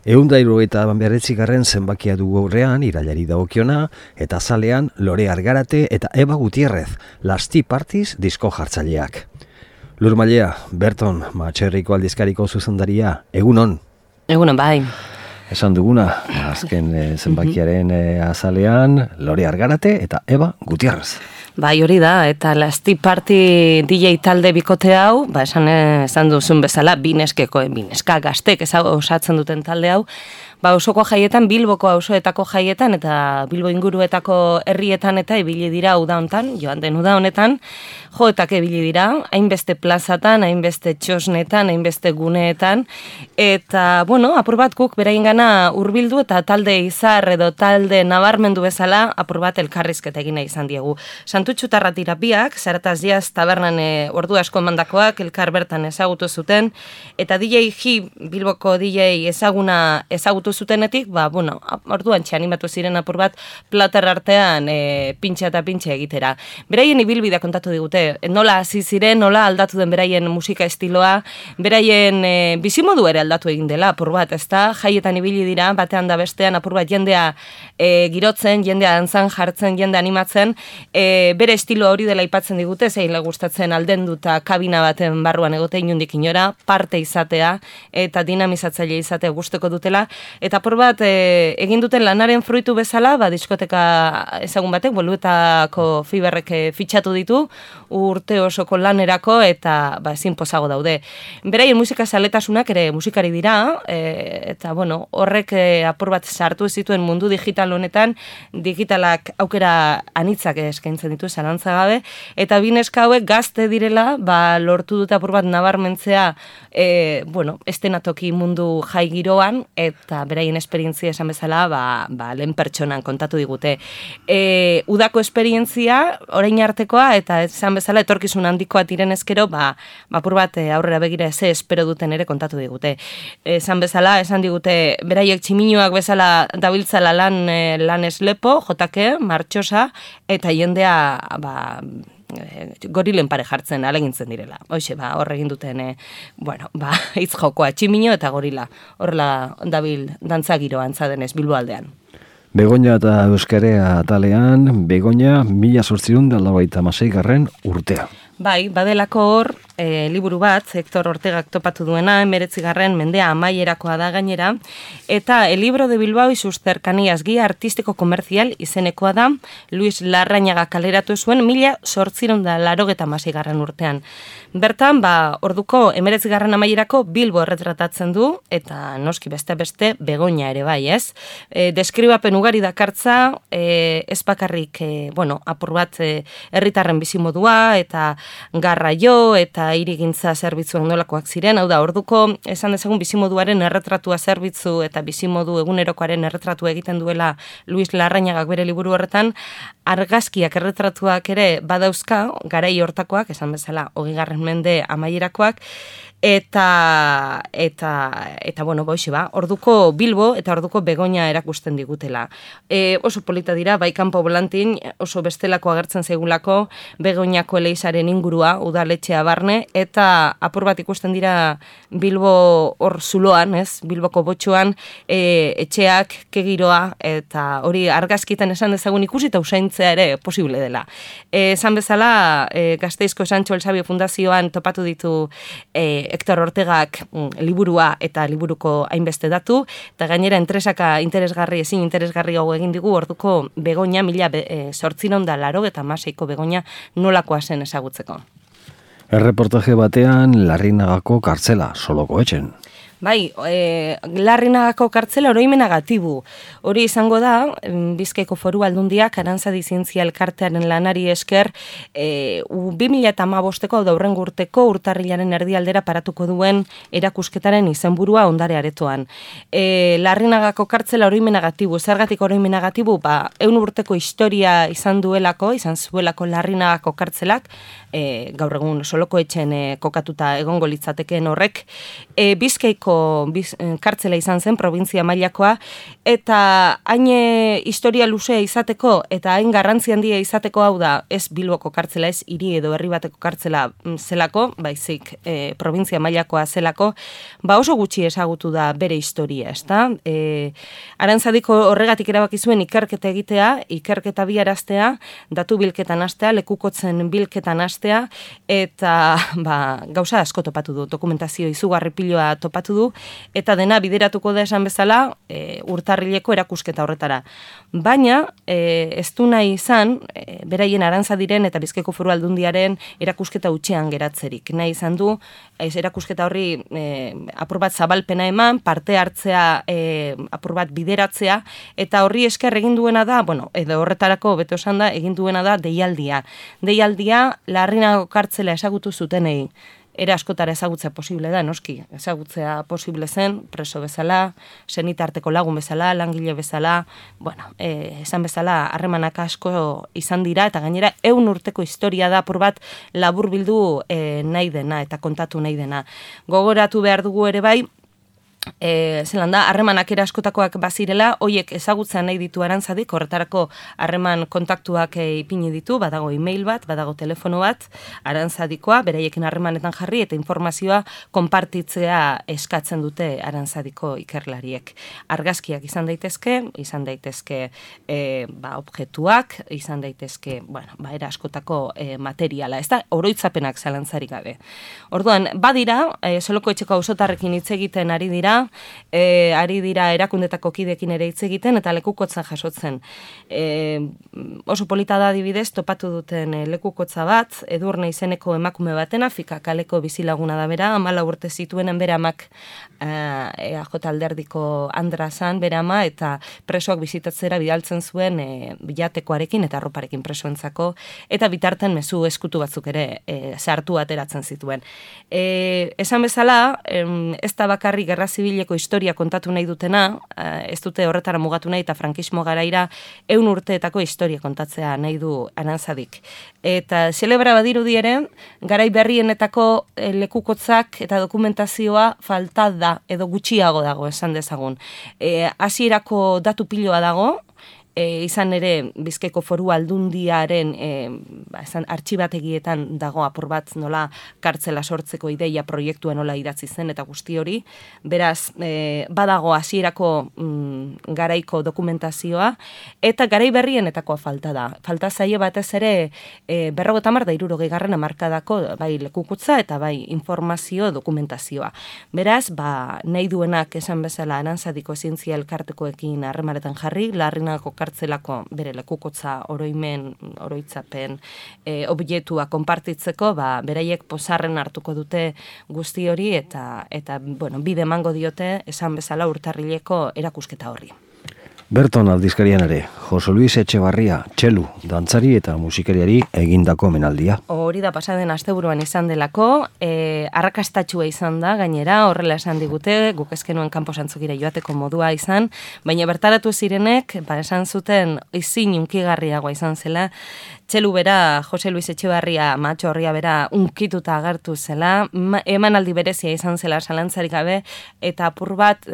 179. zenbakia dugu aurrean, irailari dagokiona, eta azalean Lore Argarate eta Eba Gutierrez, Las Tea Parties disko jartzaileak. Lur Mailea, Berton, Matxerriko aldizkariko zuzendaria, egunon? Egunon, bai. Esan duguna, azken zenbakiaren azalean, Lore Argarate eta Eba Gutierrez. Bai, hori da, eta Las Tea Party DJ talde bikote hau, esan duzun bezala, bineska gaztek osatzen duten talde hau, osoko jaietan, Bilboko auzoetako jaietan eta Bilbo inguruetako herrietan eta ibili dira uda hontan, joan den uda honetan, joetak ibili dira, hainbeste plazatan, hainbeste txosnetan, hainbeste guneetan, eta, apur bat guk beraiengana hurbildu eta talde izar edo talde nabarmendu bezala apur bat elkarrizketa egina izan diegu. Santutxutarra tirapiak, Zarataz Jazz tabernan ordu asko emandakoak, elkar bertan ezagutu zuten, eta DJ G, Bilboko DJ ezagutu zutenetik, orduan animatu ziren apur bat plater artean pintxa eta pintxa egitera. Beraien ibilbidea kontatu digute, nola hasi ziren, nola aldatu den beraien musika estiloa, beraien bizimodu ere aldatu egin dela apur bat, ezta? Jaietan ibili dira, batean da bestean apur bat jendea girotzen, jendea dantzan jartzen, jendea animatzen, bere estilo hori dela aipatzen digute, zein gustatzen aldenduta kabina baten barruan egote inundik inora, parte izatea eta dinamizatzaile izatea gusteko dutela, eta apur bat egin duten lanaren fruitu bezala, diskoteka ezagun batek, Boluetako Fiberrek fitxatu ditu, urte osoko lanerako eta ezin pozago daude. Beraien musika zaletasunak ere musikari dira, eta horrek apur bat sartu zituen mundu digital honetan, digitalak aukera anitzak eskaintzen ditu zalantza gabe, eta bineska hauek gazte direla, lortu dut apur bat nabarmentzea, estenatoki mundu jai giroan, eta beraien esperientzia esan bezala, lehen pertsonan kontatu digute. Udako esperientzia, orain artekoa, eta esan bezala, etorkizun handikoa diren ezkero, apur bat aurrera begira ze espero duten ere kontatu digute. Esan bezala, esan digute, beraiek tximinoak bezala dabiltzala lan eslepo, jotake, martxosa, eta jendea, gorilen pare jartzen alegintzen direla. Hoxe, hor egin duten, hitz jokoa, tximino eta gorila. Horrela dabil dantzagiro antzadenez Bilbo aldean. Begoña eta Euskarea atalean, Begoña 1896. urtea. Bai, badelako hor, liburu bat, Hector Ortegak topatu duena, 19. mendea amaierakoa da gainera, eta El libro de Bilbao y sus cercanías, guía artístico comercial izenekoa da, Luis Larrañaga kaleratu zuen 1886. urtean. Bertan, orduko 19. amaierako Bilbo erretratatzen du, eta noski beste Begoña ere bai, ez? Deskribapen ugari dakartza, ez bakarrik, apur bat herritarren bizimodua, eta garraio eta hirigintza zerbitzuak nolakoak ziren, hau da, orduko esan dezagun bizimoduaren erretratua zerbitzu eta bizimodu egunerokoaren erretratu egiten duela Luis Larrañagak bere liburu horretan, argazkiak erretratuak ere badauzka, garai hortakoak, esan bezala, 20. mende amaierakoak, eta orduko Bilbo eta orduko Begoña erakusten digutela. Oso polita dira, kanpo volantin, oso bestelako agertzen zaigulako Begoñako eleizaren ingurua, udaletxea barne, eta apur bat ikusten dira Bilbo hor zuloan, Bilboko botxoan, etxeak, kegiroa, eta hori argazkitan esan dezagun ikusi eta usaintzea ere posible dela. Esan bezala, Gasteizko Sancho El Sabio Fundazioan topatu ditu Hector Ortegak liburua eta liburuko hainbeste datu, eta gainera ezin interesgarri hau egin digu orduko Begoña 1886ko Begoña nolakoa zen ezagutzeko. Erreportaje batean Larrinagako kartzela, Soloko etxen. Bai, Larrinagako kartzela oroimenagatibu. Hori izango da, Bizkaiko Foru Aldundiak Arantzadi Zientzia Elkartearen lanari esker 2015ko daurrengo urteko urtarrilaren erdialdera paratuko duen erakusketaren izenburua ondare aretoan. Larrinagako kartzela oroimenagatibu, zergatik oroimenagatibu, 100 urteko historia izan zuelako Larrinagako kartzelak, gaur egun Soloko etxen kokatuta egongo litzatekeen horrek, Bizkaiko handiko kartzela izan zen, provintzia mailakoa, eta hain historia luzea izateko, eta hain garrantzi handia izateko, hau da, ez Bilboko kartzela, ez hiri edo herri bateko kartzela zelako, baizik provintzia mailakoa zelako, oso gutxi ezagutu da bere historia, ezta? Arantzadiko horregatik erabaki zuen ikerketa egitea, ikerketa biaraztea, datu bilketan hastea, lekukotzen bilketan hastea, eta gauza asko topatu du, dokumentazio izugarri piloa topatu du, eta dena bideratuko da esan bezala urtarrileko erakusketa horretara. Baina, ez du nahi izan, beraien Arantzadiren eta Bizkaiko Foru Aldundiaren erakusketa hutsean geratzerik. Nahi izan du, erakusketa horri apur bat zabalpena eman, parte hartzea apur bat bideratzea, eta horri esker egin duena da, edo horretarako beto esan da, egin duena da deialdia. Deialdia, Larrinago kartzela ezagutu zutenei. Era askotara ezagutzea posible da, noski. Ezagutzea posible zen, preso bezala, senitarteko lagun bezala, langile bezala, esan bezala, harremanak asko izan dira, eta gainera 100 urteko historia da apur bat laburbildu nahi dena, eta kontatu nahi dena. Gogoratu behar dugu ere bai, zelan da, harremanak askotakoak bazirela, hoiek ezagutzea nahi ditu Arantzadik, horretarako harreman kontaktuak ipini ditu, badago e-mail bat, badago telefono bat, Arantzadikoa, beraiekin harremanetan jarri, eta informazioa konpartitzea eskatzen dute Arantzadiko ikerlariek. Argazkiak izan daitezke objektuak, izan daitezke, era askotako materiala, ez da, oroitzapenak zalantzarik gabe. Orduan, badira, Soloko Etxeko auzotarrekin hitz egiten ari dira erakundetako kidekin ere hitz egiten eta lekukotzan jasotzen. Oso polita da adibidez, topatu duten lekukotza bat, Edurne izeneko emakume batena, Fika kaleko bizilaguna da bera, 14 urte zituenen bere amak EAJ alderdiko Andrazan bere ama, eta presoak bizitatzera bidaltzen zuen bilatekoarekin eta arroparekin presoentzako, eta bitarten mezu eskutu batzuk ere sartu ateratzen zituen. Esan bezala, ez da bakarri gerra zibileko historia kontatu nahi dutena, ez dute horretara mugatu nahi, eta frankismo garaira 100 urteetako historia kontatzea nahi du Arantzadik. Eta zelebra badirudi ere, garai berrienetako lekukotzak eta dokumentazioa falta da, edo gutxiago dago, esan dezagun. Hasierako datu piloa dago, izan ere Bizkaiko Foru Aldundiaren artxibategietan dago apur bat nola kartzela sortzeko ideia proiektua nola idatzi zen eta guzti hori. Beraz, badago hasierako garaiko dokumentazioa, eta garai berrienetakoa falta da. Falta zaie batez ere 50 da 60 hamarkadako bai lekukutza eta bai informazio dokumentazioa. Beraz, nahi duenak esan bezala Arantzadiko zientzia elkartekoekin harremanetan jarri, Larrinagako kartzelako bere lekukotza oroitzapen objektua konpartitzeko, beraiek pozarren hartuko dute guzti hori eta bide emango diote esan bezala urtarrileko erakusketa horri. Berton aldizkarian ere, Jose Luis Etxebarria, txelu, dantzari eta musikariari egindako omenaldia. Hori da pasaden asteburuan izan delako, arrakastatxua izan da, gainera, horrela esan digute, guk ezkenuen kanposantzukira joateko modua izan, baina bertaratu zirenek, esan zuten izin unkigarriagoa izan zela, txelu bera, Jose Luis Etxebarria, matxo horria bera, unkituta agertu zela, emanaldi berezia izan zela salantzarik gabe, eta apur bat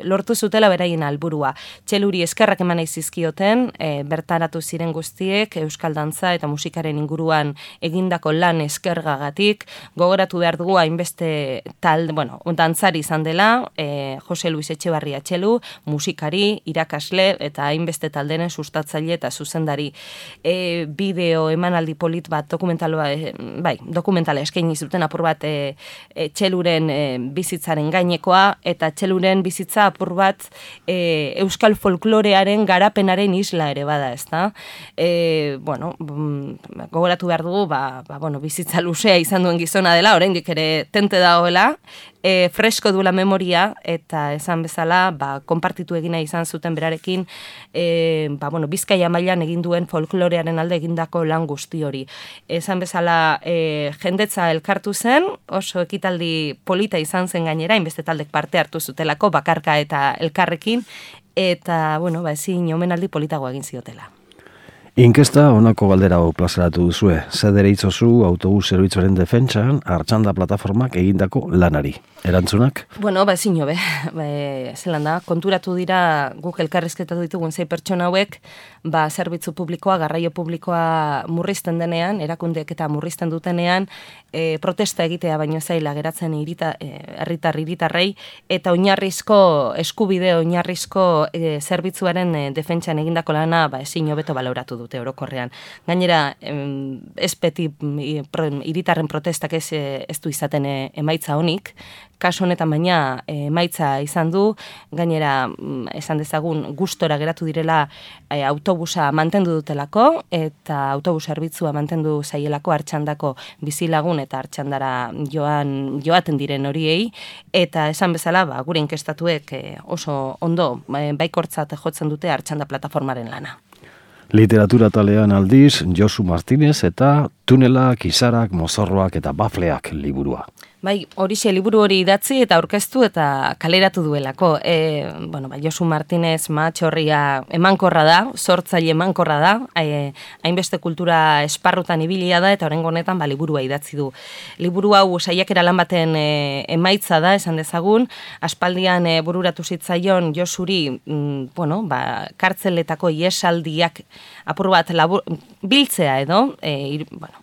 lortu zutela beraien alburua. Txeluri eskerrak eman nahi zizkioten, bertaratu ziren guztiek, euskal dantza eta musikaren inguruan egindako lan eskergagatik, gogoratu behar dugu hainbeste dantzari izan dela, Jose Luis Etxebarria txelu, musikari, irakasle, eta hainbeste taldenen sustatzaile eta zuzendari. Bideo emanaldi polit bat dokumentala eskaini zuten apur bat txeluren bizitzaren gainekoa, eta txeluren bizitza apur bat euskal folklorearen garapenaren isla ere bada, ezta? Gogoratu behar dugu, bizitza luzea izan duen gizona dela, oraindik ere tente dagoela, fresko duela memoria, eta esan bezala, konpartitu egina izan zuten berarekin, Bizkaia mailan egin duen folklorearen alde egindako lan guzti hori. Esan bezala, jendetza elkartu zen, oso ekitaldi polita izan zen gainera, hainbeste taldek parte hartu zutelako, bakarka eta elkarrekin, eta, ezin omenaldi politago egin ziotela. Inkesta honako galdera hau plazaratu duzue. Zer deritzozu autobus zerbitzuaren defentsan Artxanda plataformak egindako lanari? Erantzunak? Bueno, ezin hobe. Zelan da, konturatu dira guk elkarrizketatu ditugun 6 pertsona hauek, zerbitzu publikoa, garraio publikoa murrizten denean, erakundeek eta murrizten dutenean, protesta egitea baino zaila geratzen herritarrei eta oinarrizko eskubide oinarrizko zerbitzuaren defentsan egindako lana ezin hobeto baloratu dute orokorrean. Gainera, ez beti hiritarren protestak ez du izaten emaitza honik, kasu honetan baina emaitza izan du, gainera esan dezagun gustora geratu direla autobusa mantendu dutelako eta autobus zerbitzua mantendu zaielako Artxandako bizilagun eta Artxandara joaten diren horiei, eta esan bezala gure inkestatuek oso ondo baikortzat jotzen dute Artxanda plataformaren lana. Literatura talean aldiz, Josu Martinez eta Tunelak, Izarak, Mozorroak eta Bafleak liburua. Bai, horixe liburu hori idatzi eta aurkeztu eta kaleratu duelako. Josu Martinez matxorria emankorra da, sortzaile emankorra da, hainbeste kultura esparrutan ibilia da eta oraingo honetan liburua idatzi du. Liburu hau saiakera lan baten emaitza da, esan dezagun, aspaldian bururatu zitzaion Josuri, kartzeletako iesaldiak apur bat biltzea edo,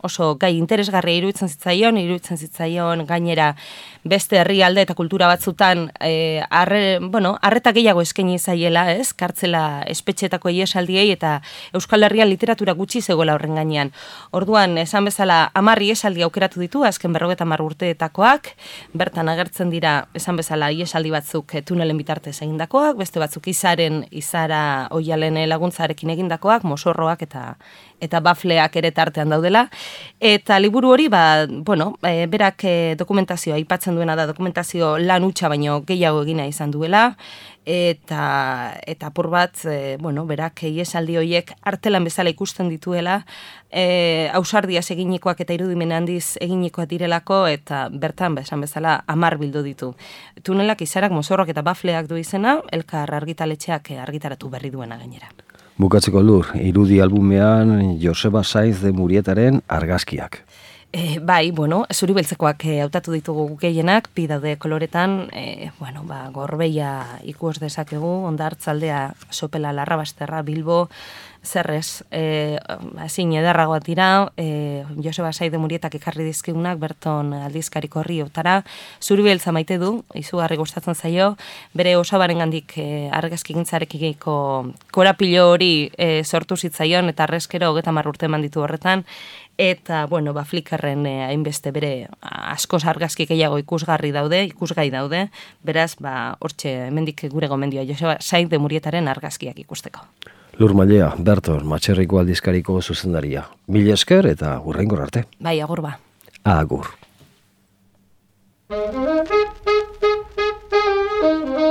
oso gai interesgarria iruditzen zitzaion gainera beste herrialde eta kultura batzutan arreta gehiago eskaini zaiela, ez? Kartzela espetxetako iesaldiei eta Euskal Herrian literatura gutxi zegoela horren gainean. Orduan, esan bezala 10 iesaldi aukeratu ditu, azken 50 urteetakoak, bertan agertzen dira, esan bezala iesaldi batzuk tunelen bitartez egindakoak, beste batzuk Izara Oialen laguntzarekin egindakoak, Mozorroak eta Bafleak ere tartean daudela. Eta liburu hori, berak dokumentazioa aipatzen duena da, dokumentazio lan hutsa baino gehiago egina izan duela, eta apur bat, berak iesaldi horiek artelan bezala ikusten dituela, ausardiaz eginikoak eta irudimen handiz eginikoak direlako, eta bertan, esan bezala, 10 bildu ditu. Tunelak, Izarak, Mozorroak eta Bafleak du izena, Elkar argitaletxeak argitaratu berri duena gainera. Bukatzeko Lur, irudi albumean Joseba Saiz de Murietaren argazkiak. Zuri beltzekoak hautatu ditugu gehienak, bi daude koloretan, Gorbeia ikus dezakegu, Hondartzaldea, Sopela, Larrabasterra, Bilbo, zerrez, ezin ederragoak dira, Joseba Saiz de Murietak ekarri dizkigunak, Berton aldizkariko horriotara, zuri beltza maite du, izugarri gustatzen zaio, bere osabarengandik argazki gintzarekiko korapilo hori sortu zitzaion, eta arrezkero 30 urte eman ditu horretan, eta, Flickrren hainbeste bere askoz argazki gehiago ikusgai daude, beraz, hortxe hemendik gure gomendioa Joseba Saiz de Murietaren argazkiak ikusteko. Lur Mallea, Berton, Matxerriko aldizkariko zuzendaria. Mila esker eta hurrengor arte. Bai, agur ba. Agur.